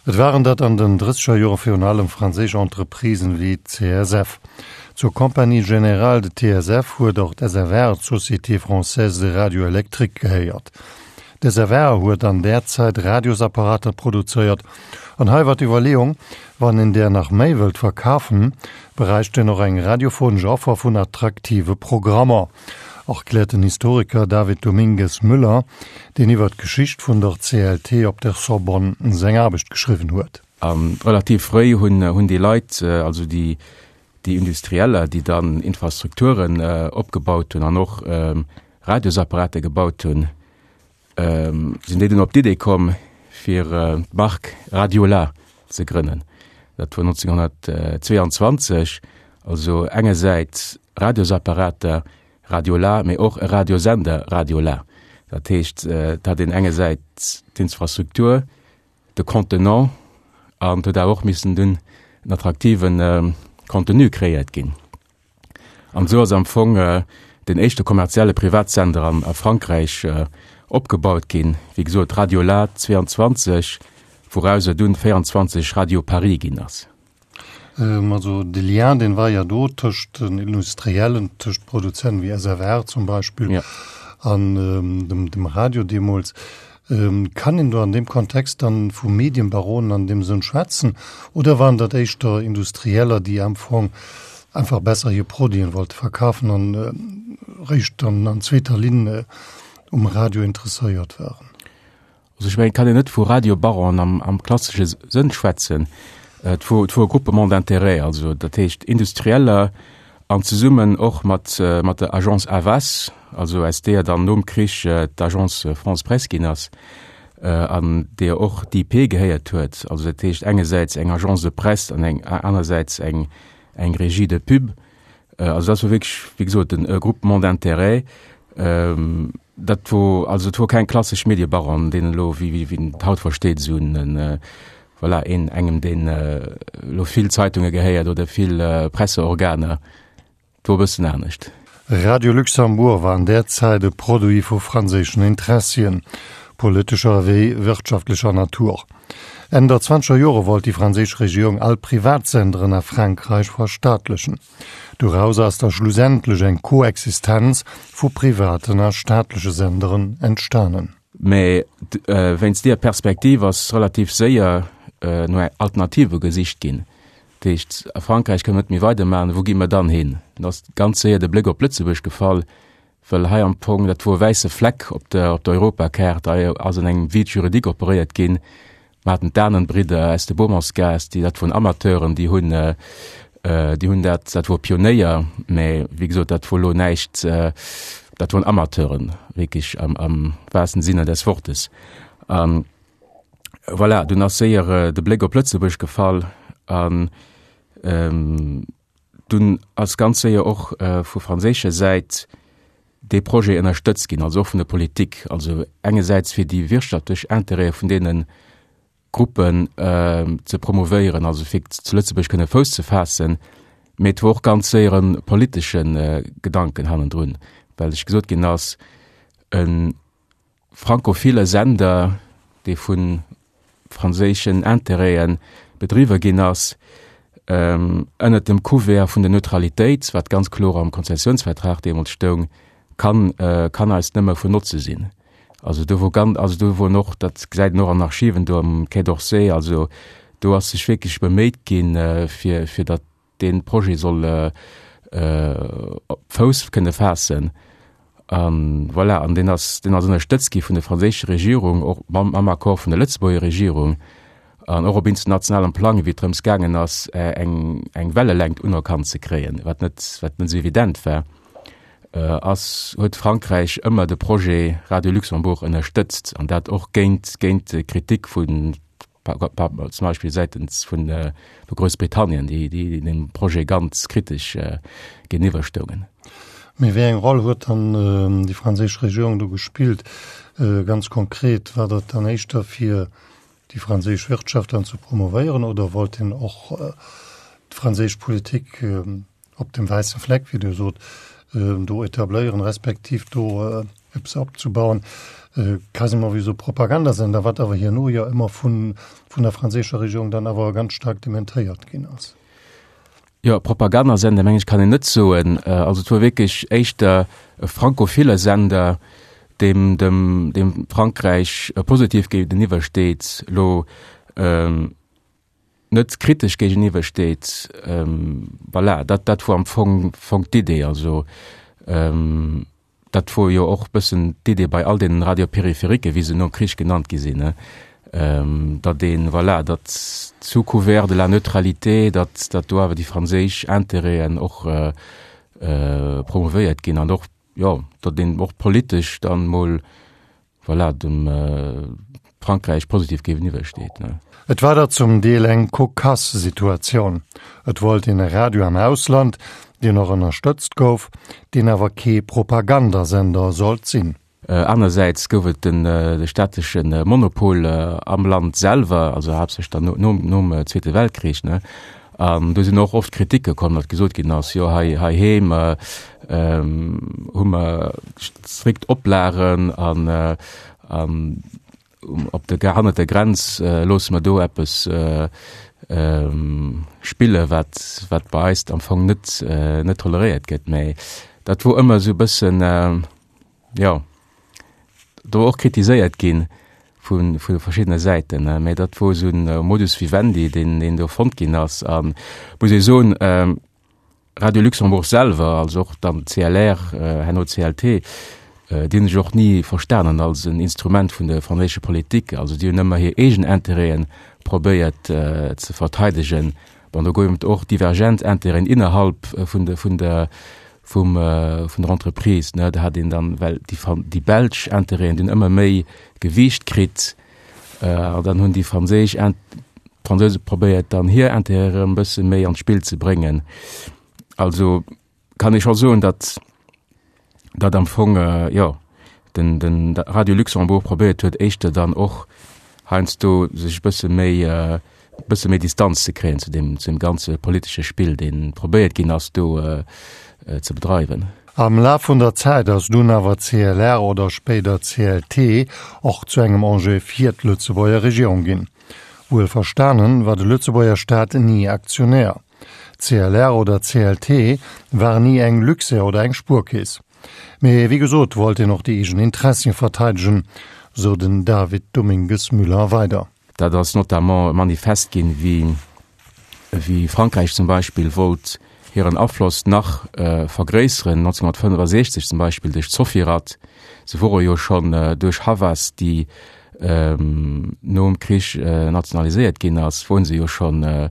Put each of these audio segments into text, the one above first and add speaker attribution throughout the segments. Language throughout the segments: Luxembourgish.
Speaker 1: Et waren dat an den drësseger Jore virun allem franséisch Entreprisen wéi d'CSF. Zur Compagnie Générale de TSF huet och d'SFR, d'Société Française de Radio Électrique, gehéiert. D'SFR huet an där Zäit Radiosapparater produzéiert an hei war d'Iwwerleeung, wann een där nach méi wëllt verkafen, bräicht een och eng radiophonesch Offer vun attraktive Programmer, erkläert den Historiker David Domingues Müller, deen iwwer d'Geschicht vun der CLT op der Sorbonne seng Aarbecht geschriwwen huet.
Speaker 2: A relativ fréi hunn déi Leit, also déi Industrieller, déi dann Infrastrukturen opgebaut hunn an och Radiosapparate gebaut hunn, sinn déi dunn op d'Idee komm, fir d'Mark Radiola ze grënnen. Dat wor 1922, also engersäits Radiosapparater, Radiola, mee och e Radiosender, Radiola. Dat heescht, et hat een engersäits d'Infrastruktur, de Contenant an et huet awer och missen dunn en attraktive Contenu kreéiert ginn. An esou ass am Fong den éischte kommerzielle Privatsender an a Frankräich opgebaut ginn, wéi gesot Radiola 22, wourauser dunn 24 Radio Paris ginn ass.
Speaker 1: Also de Lien, deen war jo do tëscht den Industriellen, tëscht Produzenten wéi SFR zum Beispill an dem Radio deemools. Kann een do an deem Kontext dann vu Medienbaronen an deem Sënn schwätzen oder waren dat éischter Industrieller, déi am Fong einfach besser hir Produiten wollte verkafen an réischt dann an zweeter Linn um Radio interesséiert waren?
Speaker 2: Also ech mengen, et kann een net vu Radiobaronen am, am klassesche Sënn schwätzen. Et wor, et wor e Groupement d'intérêts, also dat heescht Industrieller an zesummen och mat, mat der Agence Havas, also aus deeër dann nom Krich d'Agence France Presse ginn ass, an deeër och d'IP gehéiert huet. Also dat heescht engersäits eng Agence de presse an eng anersäits eng, eng Régie de pub. Also dat wor wierklech, wéi gesot, e Groupement d'intérêts. Dat wor, also et wor keng klassesch Mediebaron, deen elo, wéi, wéi een et haut versteet, esou en, voilà, een, engem deen elo vill Zeitunge gehéiert oder vill Presseorganer. Et wor e bëssen anescht.
Speaker 1: Radio Luxembourg war an där Zäit e Produit vu franséischen Interessien, politescher ewéi wirtschaftlecher Natur. Enn der zwanzeger Jore wollt déi franséisch Regierung all Privatsenderen a Frankräich verstaatlechen. Dorauser ass da schlussendlech eng Koexistenz vu privaten a staatleche Senderen entstanen.
Speaker 2: Mä wéinst deeër Perspektiv ass relativ séier no Alternative gesicht ginn. Dat heescht, a Frankräich kënne mer net méi weidermaachen, wou gi mer dann hin? Dann ass ganz séier de Bléck op Lëtzebuerg gefall, well hei am Fong, dat wor e wäisse Fleck op der, op der Europakaart, hei ass an engem Vide juridique operéiert ginn. Mer haten d'Ahnenbridder aus de Beaumontsgaass, déi, dat woren Amateuren, déi hunn, déi hunn dat, dat wor Pionéier, mä wéi gesot, dat wor elo näischt, dat woren Amateuren, wierklech am, am wahrsten Sinne des Wortes. An voilà, dunn ass séier de Bléck op Lëtzebuerg gefall an Dunn ass ganz séier och vu franséischer Säit dee Projet ënnerstëtzt ginn, also och vun der Politik, also engersäits fir déi wirtschaftlech Intérêtë vun deene Gruppen ze promouvéieren, also fir zu Lëtzebuerg kënne Fouss ze faassen, mee et wor och ganz séier e politesche Gedanken hannendrun, well sech gesot ginn ass, e frankophile Sender, dee vu franséischen Intérêten bedriwwe ginn ass, ënnert dem Couvert vun der Neutralitéit, wat ganz kloer am Konzessionsvertrag deemools stoung, kann, kann eis nëmme vun Notze sinn. Also do wor ganz, also do wor och, dat gesäit een och an Archiven do am Quai d'Orsay, also do ass sech wierklech beméit ginn, fir, fir datt dee Projet soll op Fouss kënne faassen. An voilà, an deen ass, deen ass ënnerstëtzt gi vun der franséischer Regierung, och mam, mam Accord vun der Lëtzebuerger Regierung an och op internationalem Plang, wéi et drëms gaangen ass, eng, eng Wellelängt unerkannt ze kréien, wat net, wat net esou evident war, ass, huet Frankräich ëmmer de Projet Radio Luxembourg ënnerstëtzt an dat och géint, géint d'Kritik vun zum Beispill säitens vun Groussbritannien, déi dem Projet ganz kritesch géintiwwer stoungen.
Speaker 1: Mee wéi eng Roll huet dann déi franséisch Regierung do gespillt? Ganz konkret, war dat dann éischter fir déi franséisch Wirtschaft dann ze promovéieren oder wollt een och d'franséisch Politik op dem wäisse Fleck, wéi Dir sot, do etabléieren, respektiv do. eppes opzebauen, quasiment wéi esou Propagandasender, wat awer herno jo ëmmer vun, vun der franséischer Regierung dann awer ganz staark dementéiert ginn ass.
Speaker 2: Jo, Propagandasender meng ech kann een net soen. Also et wor wierklech éischter e frankophile Sender, deem dem, deem Frankräich positiv géigeniwwer steet, elo net kritesch géigeniwwer steet. Voilà, dat, dat wor am Fong, Fong d'Idee. Also Dat wor jo och bëssen d'Idee bei all deenen Radio-Périphériquen, wéi se nom Krich genannt gi sinn, datt een, voilà, datt sous couvert de la neutralité, datt, datt do awer déi franséisch Intérêten och promouvéiert ginn an och, jo, datt een och politesch dann mol voilà, dem Frankräich positiv géigeniwwer steet.
Speaker 1: Et war der zum Deel eng cocasse Situatioun. Et wollt een e Radio am Ausland, deen och ënnerstëtzt gouf, deen awer kee Propagandasender sollt sinn.
Speaker 2: Anersäits gouf et de staatleche Monopol am Land selwer, also haaptsächlech dann nom Zweete Weltkrich. An do sinn och oft Kriticke komm, datt gesot ginn ass, jo hei heiheem hu mer strikt Oplagen an an op der hannert der Grenz loosse mer do eppes spille wat wat bei eis am Fong net net toleréiert gëtt. Mä dat wor ëmmer esou e bëssen, jo, do och kritiséiert ginn vu vu verschiddene Säiten, mä dat wor esou en Modus vivendi, deen deen do fonnt ginn ass. A muss ee soen, Radio Luxembourg selwer, also och dann CLR, herno CLT, déi hunn sech och ni verstanen als en Instrument vun der franséischer Politik. Also déi hunn ëmmer hir eegen Intérêten probéiert ze verteidegen. Bon, do gouf et och divergent Intérêten innerhalb vun de vun der vum vun der Entreprise, ne. Da hat een dann, well déi Fran déi belsch Intérêten, déi hunn ëmmer méi Gewiicht kritt, an dann hunn déi franséisch Int d'Fransouse probéiert dann hir Intérêt erëm e bësse méi an d'Spill ze bréngen. Also kann ee scho soen, datt datt am Fong, jo, den den Radio Luxembourg probéiert huet éischter dann och heiansdo sech e bësse méi e bësse méi Distanz ze kréien zu deem zu deem ganze politesche Spill, dee probéiert ginn ass do ze bedreiwen.
Speaker 1: Am Laf vun der Zäit ass dunn awer CLR oder spéider CLT och zu engem Enjeu fir d'Lëtzebuerger Regierung ginn. Wuel verstanen war de Lëtzebuerger Staat ni Aktionär. CLR oder CLT war ni eng Luxair oder eng Spuerkeess. Mee wéi gesot wollt een och déi eegen Interessien verteidegen, sou den David Domingues-Müller weider.
Speaker 2: Dat ass notamment manifest ginn, wéi wéi Frankräich zum Beispill wollt hiren Afloss nach vergréisseren, 1965 zum Beispill duerch d'Sofirad. Se wore jo schonn duerch Havas, déi nom Krich nationaliséiert ginn ass, wore se jo schonn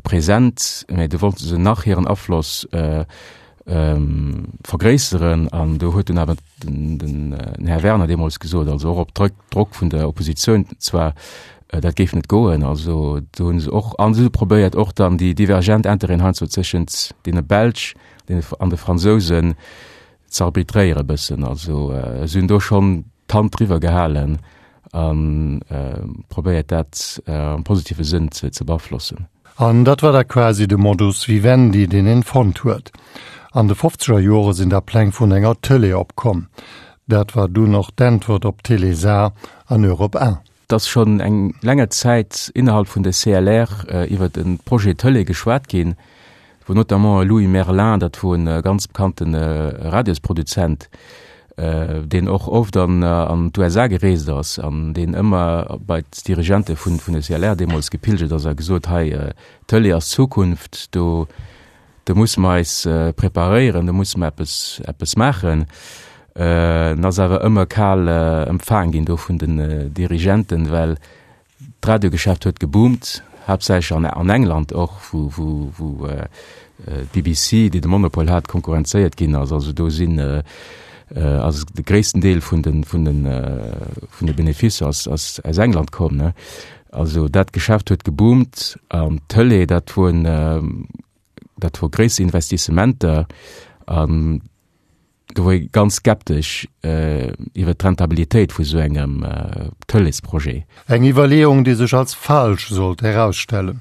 Speaker 2: present, mä do wollte se nach hiren Afloss vergréisseren an do huet dunn awer den, den Här Werner deemools gesot, also och op Drück, Drock vun der Oppositioun zwar, dat géif net goen. Also do hunn se och, an se hu probéiert och dann déi divergent Intérêten heiansdo tëschent deene Belsch an de Fransousen ze arbitréiere bëssen. Also se hunn do schonn d'Hand driwwer gehalen a probéiert dat am positive Sënn ze beaflossen.
Speaker 1: An dat war da quasi de Modus vivendi, deen een fonnt huet. An de fofzeger Jore sinn da Pläng vun enger Tëlee opkomm. Dat war dunn och d'Äntwert op Télésat an Europe 1.
Speaker 2: Et ass schonn eng länger Zäit innerhalb vun der CLR iwwert e Projet Tëlee geschwat ginn, wou notamment e Louis Merlin, dat wor e ganz bekannte Radiosproduzent, deen och oft an an d'USA gereest ass an deen ëmmer bei d'Dirigente vun vun der CLR deemools gepilgert ass a gesot, hei Tëlee ass d'Zukunft, do do musse mer eis preparéieren, do musse mer eppes eppes maachen. En ass awer ëmmer kal empfaang ginn do vun den Dirigenten, well D'Radiogeschäft huet geboomt, haaptsächlech an an England och, wou wou wou d'BBC, déi de Monopol hat, konkurrenzéiert ginn ass. Also do sinn ass de gréissten Deel vun de vun de vun de Beneficer ass ass aus England komm, ne. Also dat Geschäft huet geboomt an d'Tëlee, dat woen dat wor gréisser Investissementer an Do wor ee ganz skeptesch iwwer d'Rentabilitéit vu sou engem Tëleesprojet.
Speaker 1: Eng Iwwerleeung, déi sech als falsch sollt erausstellen.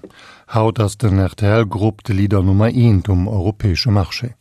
Speaker 1: Haut ass den RTL-Grupp de Leader Nummer eent um europäesche Marché.